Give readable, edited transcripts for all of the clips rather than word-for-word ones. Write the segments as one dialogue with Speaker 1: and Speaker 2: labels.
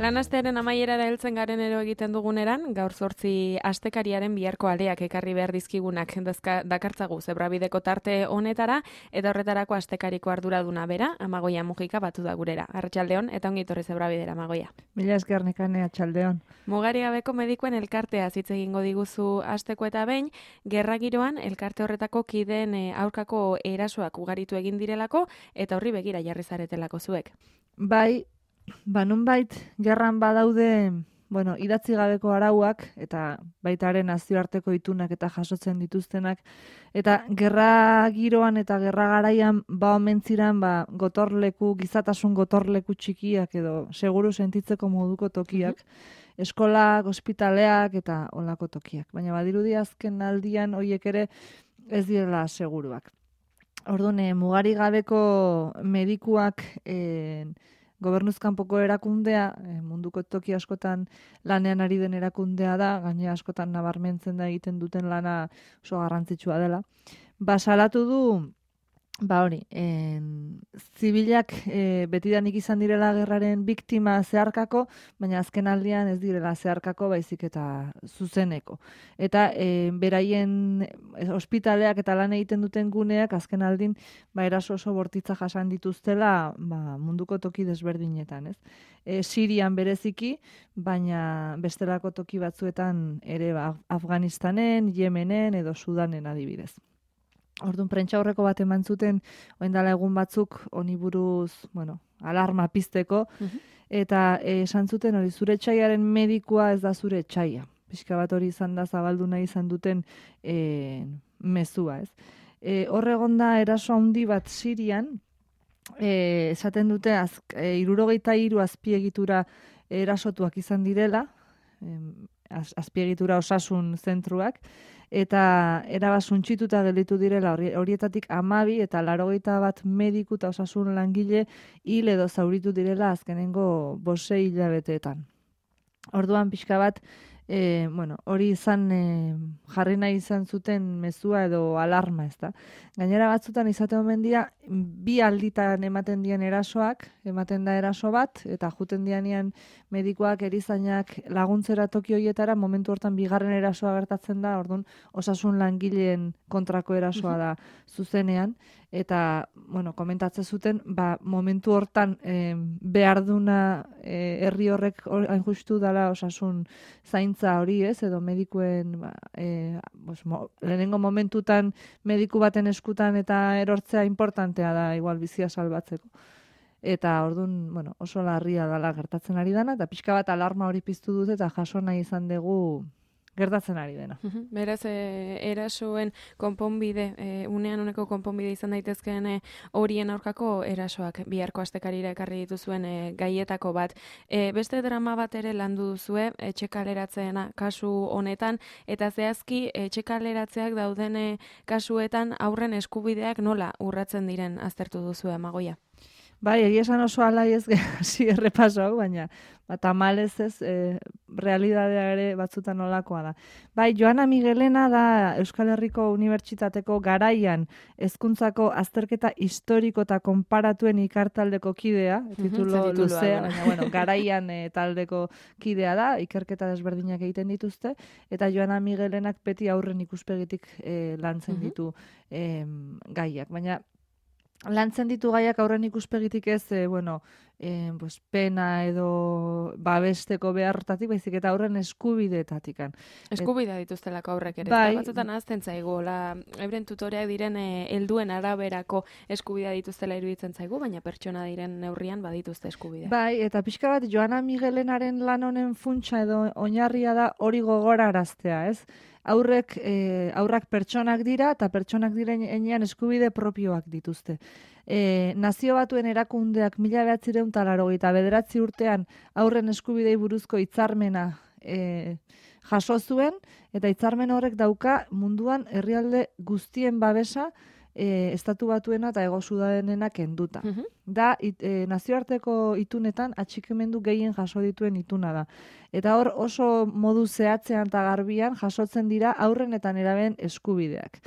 Speaker 1: Lan astearen amaierara heltzen garen ero egiten duguneran, gaur 8 astekariaren biharko aleak ekarri behar dizkigunak dakartzagu zebrabideko tarte honetara, eta horretarako astekariko arduraduna bera, Amagoia Mujika batu da gurera. Arratsaldeon eta ongi etorri zebrabidera, Amagoia.
Speaker 2: Mila esker Nekane, arratsaldeon.
Speaker 1: Mugari gabeko medikuen elkartea hitz egingo diguzu asteko eta behin, gerra giroan elkarte horretako kideen aurkako erasoak ugaritu egin direlako eta horri begira jarri zaretelako zuek.
Speaker 2: Bai, nonbait gerran badaude, idatzi gabeko arauak eta baitaren nazioarteko itunak eta jasotzen dituztenak, eta gerra giroan eta gerra garaian omentziran gotorleku, gizatasun gotorleku txikiak edo seguru sentitzeko moduko tokiak, eskolak, ospitaleak eta olako tokiak. Baina badirudi azken aldian horiek ere ez direla seguruak. Orduan, mugari gabeko medikuak gobernuzkanpoko erakundea, munduko toki askotan lanean ari den erakundea da, gaine askotan nabarmentzen da egiten duten lana oso garrantzitsua dela. Salatu du, zibilak betidanik izan direla gerraren biktima zeharkako, baina azken aldian ez direla zeharkako, baizik eta zuzeneko. Eta beraien ospitaleak eta lan egiten duten guneak azken aldin eraso oso bortitza jasan dituztela munduko toki desberdinetan, ez? Sirian bereziki, baina bestelako toki batzuetan ere Afganistanen, Yemenen edo Sudanen adibidez. Orduan, prentsa horreko bat eman zuten, oindala egun batzuk, honi buruz, alarma pizteko, eta esan zuten hori zure etxaiaren medikua ez da zure etxaia. Pixka bat hori izan da zabaldu nahi izan duten mezua, ez. Horregonda eraso handi bat Sirian, esaten dute 63 azpiegitura erasotuak izan direla, azpiegitura osasun zentruak, eta erabasuntxituta gelditu direla horietatik 12 eta 81 mediku eta osasun langile hil edo zauritu direla azkenengo 5 hilabeteetan. Orduan pixka bat, hori izan jarri nahi izan zuten mezua edo alarma, ez da. Gainera batzutan izate omen dira, 2 alditan ematen dien erasoak, ematen da eraso bat, eta juten dianean medikuak, erizainak laguntzera toki horietara, momentu hortan 2. erasoa gertatzen da, orduan osasun langileen kontrako erasoa da zuzenean, eta, komentatzen zuten, momentu hortan behar duna herri horrek hain justu dela osasun zaintza hori, ez, edo medikuen lehenengo momentutan mediku baten eskutan eta erortzea importantea da, igual bizia salbatzeko. Eta orduan, oso larria dela gertatzen ari dena, eta pixka bat alarma hori piztu dute eta jaso nahi izan dugu gertatzen ari dena.
Speaker 1: Beraz, erasoen konponbide, unean uneko konponbide izan daitezkeen horien aurkako erasoak biharko astekarira ekarri dituzuen gaietako bat. Beste drama bat ere landu duzue, etxekaleratzeena kasu honetan, eta zehazki etxekaleratzeak dauden kasuetan aurren eskubideak nola urratzen diren aztertu duzue, Amagoia?
Speaker 2: Bai, egia esan oso alai ez hasi errepaso hau, baina tamalez ez, realidadea ere batzutan nolakoa da. Bai, Joana Miguelena da Euskal Herriko Unibertsitateko garaian hezkuntzako azterketa historiko eta konparatuen ikartaldeko kidea, titulo luzea, baina garaian taldeko kidea da, ikerketa desberdinak egiten dituzte, eta Joana Miguelenak beti aurren ikuspegitik lantzen ditu gaiak. Baina lantzen ditu gaiak aurren ikuspegitik ez, pena edo babesteko behartatik, baizik eta aurren eskubideetatik.
Speaker 1: Eskubidea dituztelako aurrek ere.
Speaker 2: Bai.
Speaker 1: Batzutan ahazten zaigu, euren tutoreak diren helduen araberako eskubidea dituztela iruditzen zaigu, baina pertsona diren neurrian badituzte eskubidea.
Speaker 2: Bai, eta pixka bat Joana Miguelenaren lan honen funtsa edo oinarria da hori gogoraraztea, ez? Aurrak pertsonak dira eta pertsonak diren enean eskubide propioak dituzte. Nazio Batuen erakundeak 1989 urtean aurren eskubidei buruzko hitzarmena jaso zuen, eta hitzarmen horrek dauka munduan herrialde guztien babesa Estatu Batuena eta Hego Sudanena kenduta. Da, nazioarteko itunetan atxikimendu gehien jaso dituen ituna da. Eta hor oso modu zehatzean eta garbian jasotzen dira aurren eta nerabeen eskubideak.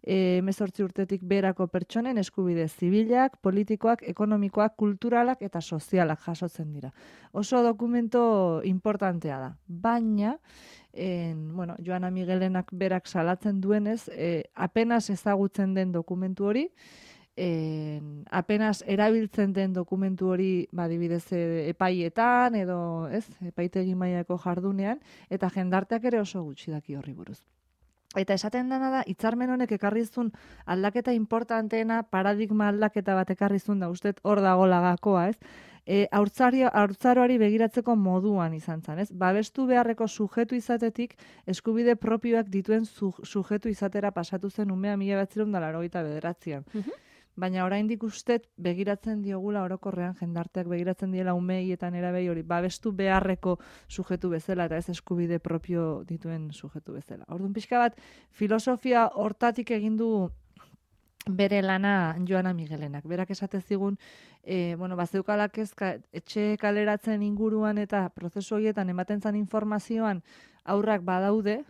Speaker 2: 18 urtetik berako pertsonen eskubide zibilak, politikoak, ekonomikoak, kulturalak eta sozialak jasotzen dira. Oso dokumento importantea da. Baina, Joana Migelenak berak salatzen duenez, apenas ezagutzen den dokumentu hori, apenas erabiltzen den dokumentu hori adibidez epaietan edo epaitegi mailako jardunean, eta jendarteak ere oso gutxi daki horri buruz. Eta esaten dena da, hitzarmen honek ekarrizun aldaketa importanteena, paradigma aldaketa bat ekarrizun da, uste hor dagoela gakoa, haurtzaroari begiratzeko moduan izan zen, babestu beharreko sujetu izatetik, eskubide propioak dituen sujetu izatera pasatu zen umea 1989an. Baina oraindik ustet begiratzen diogula orokorrean jendarteak begiratzen diela umeietan erabei hori babestu beharreko sujetu bezala eta ez eskubide propio dituen sujetu bezala. Orduan pixka bat filosofia hortatik egin du bere lana Joana Migelenak. Berak esate zigun, bazeukalak etxe kaleratzen inguruan eta prozesu horietan ematen zan informazioan aurrak badaude,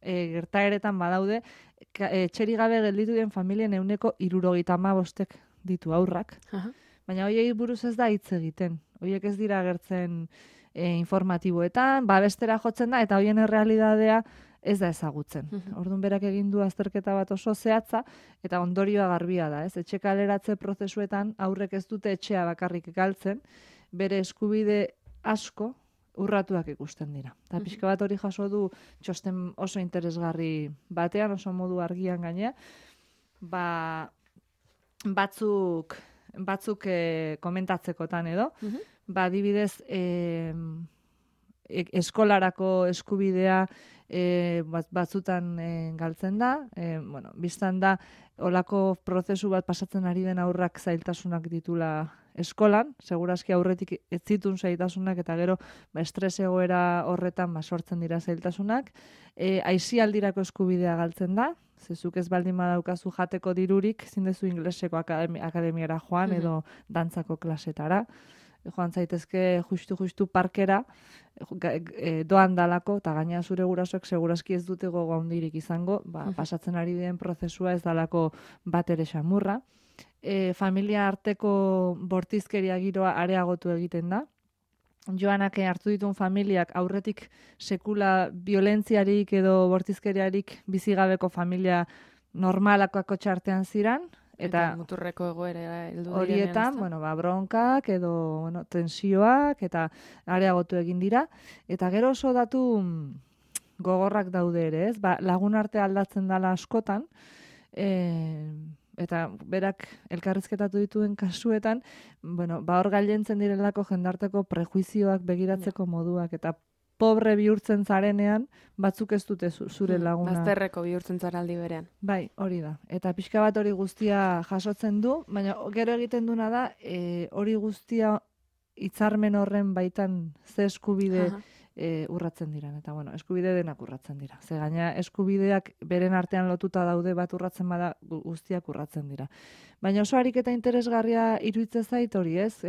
Speaker 2: gertaeretan badaude, etxeri gabe gelditu den familien 75% ditu aurrak. Baina horiei buruz ez da hitz egiten. Horiek ez dira agertzen informatiboetan, babestera jotzen da, eta horien errealidadea ez da ezagutzen. Orduan berak egin du azterketa bat oso zehatza, eta ondorioa garbia da. Etxe kaleratze prozesuetan aurrek ez dute etxea bakarrik galtzen, bere eskubide asko urratuak ikusten dira. Eta pixka bat hori jaso du txosten oso interesgarri batean, oso modu argian gainea, batzuk komentatzekotan edo, adibidez eskolarako eskubidea batzutan galtzen da, biztan da olako prozesu bat pasatzen ari den aurrak zailtasunak ditula eskolan, segurazki aurretik ez zitun zailtasunak eta gero estres egoera horretan sortzen dira zailtasunak. Aisialdirako eskubidea galtzen da, zezuk ez baldin badaukazu jateko dirurik, zindezu ingleseko akademiara joan edo dantzako klasetara. Joan zaitezke justu parkera doan dalako, eta gaina zure gurasoek segurazki ez dute gogo handirik izango, pasatzen ari den prozesua ez dalako bat ere xamurra. Familia arteko bortizkeria giroa areagotu egiten da. Joanak hartu dituen familiak aurretik sekula violentziarik edo bortizkeriarik bizigabeko familia normalakoako txartean ziran, eta
Speaker 1: muturreko egoera heldu
Speaker 2: horietan, bronkak edo tensioak eta areagotu egin dira, eta gero oso datu gogorrak daude ere, lagun arte aldatzen dela askotan, eta berak elkarrizketatu dituen kasuetan, hor gailentzen direlako jendarteko prejuizioak begiratzeko moduak, eta pobre bihurtzen zarenean, batzuk ez dute zure laguna.
Speaker 1: Bazterreko bihurtzen zara aldi berean.
Speaker 2: Bai, hori da. Eta pixka bat hori guztia jasotzen du, baina gero egiten duna da, hori guztia hitzarmen horren baitan ze eskubide urratzen dira. Eta eskubide denak urratzen dira. Ze gaina eskubideak beren artean lotuta daude bat urratzen bada guztiak urratzen dira. Baina oso ariketa interesgarria iruditzen zait hori ez,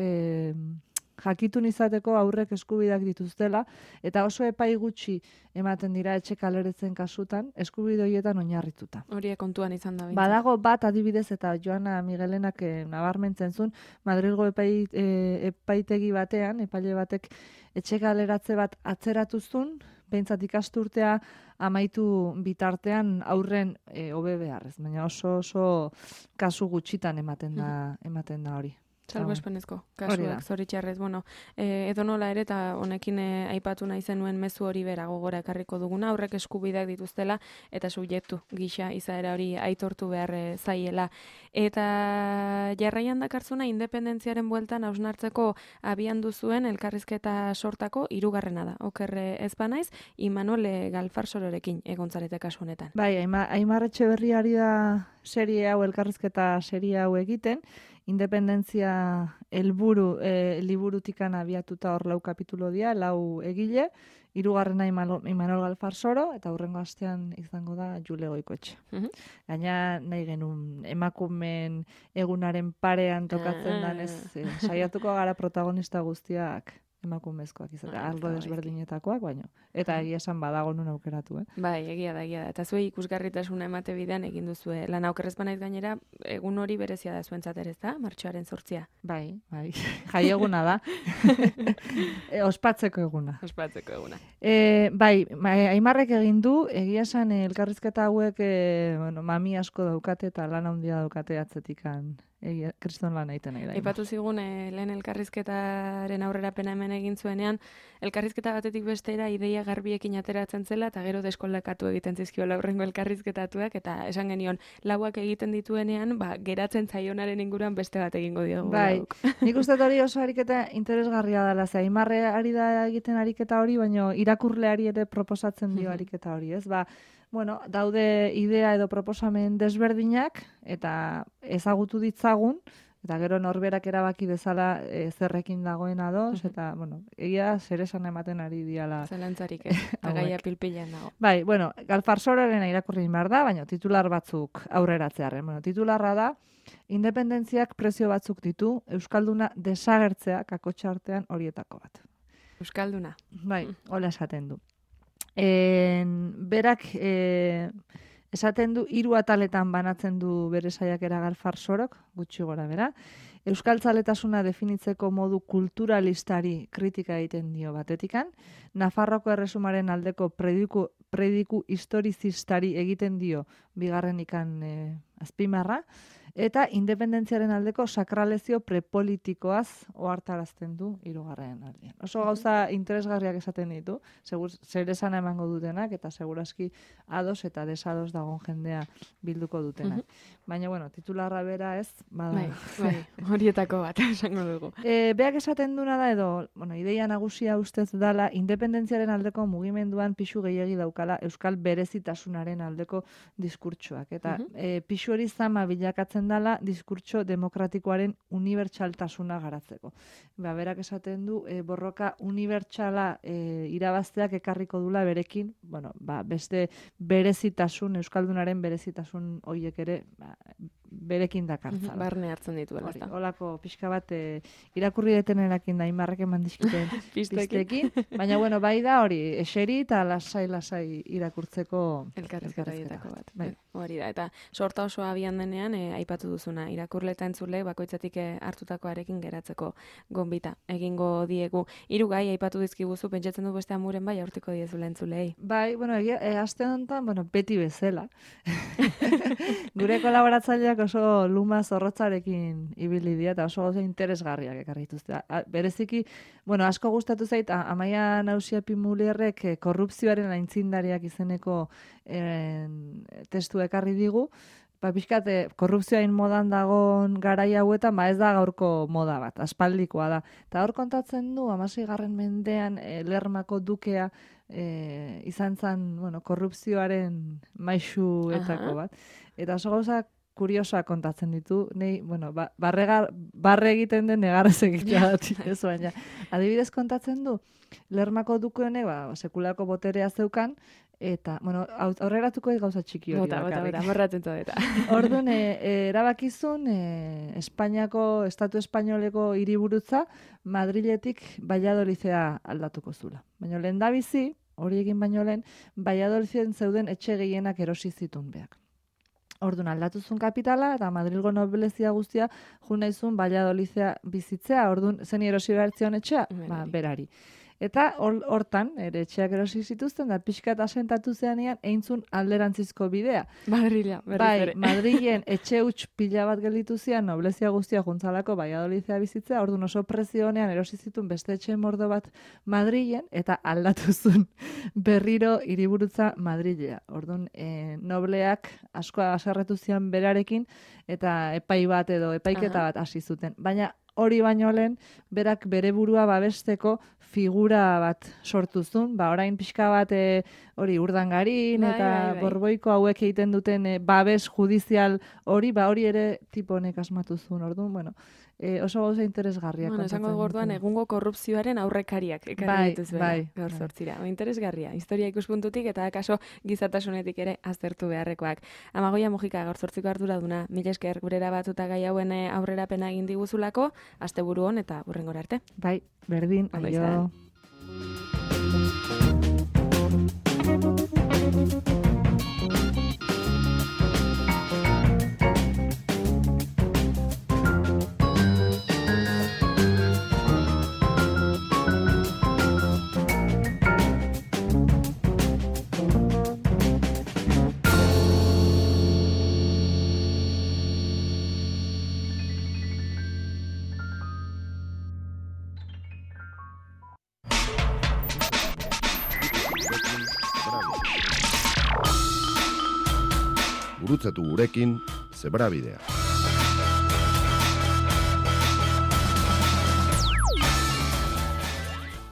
Speaker 2: jakitun izateko aurrek eskubideak dituztela, eta oso epai gutxi ematen dira etxe kaleretzen kasutan, eskubide horietan oinarrituta.
Speaker 1: Horiek kontuan izan da.
Speaker 2: Badago bat adibidez, eta Joana Migelenak nabarmentzen zuen, Madrilgo epaitegi batean, epaile batek etxe kaleratze bat atzeratuzun, behintzat ikasturtea amaitu bitartean aurren hobe beharrez, baina oso kasu gutxitan ematen da hori.
Speaker 1: Salbuespenezko kasuak, zoritxarrez. Edonola ere, eta honekin aipatu nahi zenuen mezu hori bera gogora ekarriko duguna, aurrek eskubideak dituztela, eta subjektu gisa izaera hori aitortu behar zaiela. Eta jarraian dakartzuna, independentziaren bueltan hausnartzeko abian duzuen elkarrizketa sortako hirugarrena da. Okerre ez banaiz, Imanol Galfarsororekin egontzarete kasu honetan.
Speaker 2: Bai, Aimar Etxeberriari da serie hau, elkarrizketa serie hau egiten, independentzia helburu liburutikan abiatuta hor 4 kapitulo dira, 4 egile, 3. Imanol Galfarsoro, eta hurrengo astean izango da Jule Goikoetxe. Gaina nahi genuen emakumeen egunaren parean tokatzen danez, saiatuko gara protagonista guztiak emakumezkoak izatea,
Speaker 1: Ah,
Speaker 2: arlo
Speaker 1: ez da
Speaker 2: desberdinetakoak, baino. Eta egia esan badago nun aukeratu,
Speaker 1: Bai, egia da. Eta zuei ikusgarritasuna emate bidean egin duzue. Lan aukerrez banaiz gainera, egun hori berezia da zuentzat ere, ez da? Martxoaren 8.
Speaker 2: Bai. Jaieguna da. Ospatzeko eguna.
Speaker 1: Ospatzeko eguna.
Speaker 2: Bai, Aimarrek egin du, egia esan elkarrizketa hauek mami asko daukate eta lan handia daukate atzetikan. Kriston lan egiten nahi da.
Speaker 1: Aipatu zigun lehen elkarrizketaren aurrerapena hemen egin zuenean, elkarrizketa batetik bestera ideia garbiekin ateratzen zela eta gero deskolekatu egiten zizkiola aurrengo elkarrizketatuak eta esan genion lauak egiten dituenean, geratzen zaionaren inguruan beste bat egingo diogu.
Speaker 2: Bai, nik uste hori oso ariketa interesgarria dela, ze Aimarre ari da egiten ariketa hori, baina irakurleari ere proposatzen dio ariketa hori, ez? Bueno, daude idea edo proposamen desberdinak eta ezagutu ditzagun, eta gero norberak erabaki dezala zerrekin dagoen ados, eta, bueno, egia zer esan ematen ari diala.
Speaker 1: Zelantzarik, agaia pilpilean dago.
Speaker 2: Bai, bueno, Galfarsoraren irakurri behar da, baina titular batzuk aurreratzearen. Bueno, titularra da, independentziak prezio batzuk ditu, Euskalduna desagertzea kakotxa artean horietako bat.
Speaker 1: Euskalduna.
Speaker 2: Bai, hola esaten du. Berak esaten du 3 ataletan banatzen du bere saiakera Galfarsorok, gutxi gora bera. Euskaltzaletasuna definitzeko modu kulturalistari kritika egiten dio batetikan, Nafarroko erresumaren aldeko prediku historizistari egiten dio bigarrenikan azpimarra, eta independentziaren aldeko sakralezio prepolitikoaz ohartarazten du 3. aldean. Oso gauza interesgarriak esaten ditu, zer esan emango dutenak, eta segurazki ados eta desados dagon jendea bilduko dutenak. Baina, bueno, titularra bera ez, bada.
Speaker 1: Bai, horietako bat, esango dugu.
Speaker 2: Beak esaten duna da edo, bueno, ideia nagusia ustez dala, independentziaren aldeko mugimenduan pixu gehiegi daukala Euskal berezitasunaren aldeko diskurtsoak. Eta pixu hori zama bilakatzen dala diskurtso demokratikoaren unibertsaltasuna garatzeko. Berak esaten du, borroka unibertsala irabazteak ekarriko dula berekin, bueno, beste berezitasun, Euskaldunaren berezitasun horiek ere, berekin dakartzala.
Speaker 1: Barne hartzen dituela.
Speaker 2: Olako pixka bat irakurri detenerakin da Aimarrek eman dizkiten pistekin. Baina, bueno, bai da hori, eseri eta lasai irakurtzeko
Speaker 1: elkarrizketaietako bat. Bai. Hori da, eta sorta oso abian denean, aipatu duzuna, irakurle eta entzule bakoitzatik hartutakoarekin geratzeko gonbita egingo diegu. 3 gai aipatu dizkiguzu, pentsatzen du beste amuren bai aurtiko diezula entzulei.
Speaker 2: Bai, bueno, aste honetan, bueno, beti bezala. Gure kolaboratzaileak oso luma zorrotzarekin ibili dira eta oso gauza interesgarriak ekarri dituzte. Bereziki, bueno, asko gustatu zait Amaia Nausiapi-Mulierrek korrupzioaren aintzindariak izeneko testu ekarri digu. Pixkat, korrupzioain modan dagon garai hauetan, ez da gaurko moda bat, aspaldikoa da. Eta hor kontatzen du, 16. mendean Lermako dukea izan zen, bueno, korrupzioaren maisuetako bat. Eta oso gauzak kuriosoa kontatzen ditu, nei, bueno, barre egiten den negarrez egitea datik, ez baina. Adibidez kontatzen du, Lermako duke honek, sekulako boterea zeukan, eta, bueno, aurreratuko gauza txiki hori.
Speaker 1: Bota, morratzen eta.
Speaker 2: Orduan, erabakizun, Estatu Espainoleko hiriburutza Madriletik Valladolidea aldatuko zula. Baina lehen da bizi, hori egin baino lehen, Valladoliden zeuden etxe gehienak erosi zitun beak. Orduan aldatuzun kapitala eta Madrilgo noblezia guztia junaizun Valladolidea bizitzea, orduan zen erosi behartzion etxea, berari. Eta hortan, ere etxeak erosi zituzten, da pixkat asentatu zeanean, eintzun alderantzizko bidea.
Speaker 1: Madrila,
Speaker 2: bai, Madrilen etxe huts pila bat gelditu zian, noblezia guztia juntzalako Valladolidea bizitzea, orduan oso prezio honean erosi zituen beste etxe mordo bat Madrilen, eta aldatuzun berriro hiriburutza Madrilea. Orduan, nobleak asko aserretu zian berarekin, eta epai bat edo epaiketa bat hasi zuten. Baina, hori baino lehen, berak bere burua babesteko figura bat sortuzun, orain pixka bat hori Urdangarin eta Borboiko hauek egiten duten babes judizial hori, hori ere tipo honek asmatuzun, orduan, bueno, oso gauza interesgarria.
Speaker 1: Bueno, esango gorduan egungo korrupzioaren aurrekariak ekarri dituzuela gaur sortzira. Interesgarria, historia ikuspuntutik eta kaso gizatasunetik ere aztertu beharrekoak. Amagoia Mujika gaur sortziko arduraduna, mila esker gurera batuta gai hauen aurrerapena egin diguzulako, asteburu hon eta hurrengora arte.
Speaker 2: Bai, berdin, aio.
Speaker 3: Gurutzatu gurekin, Zebrabidea.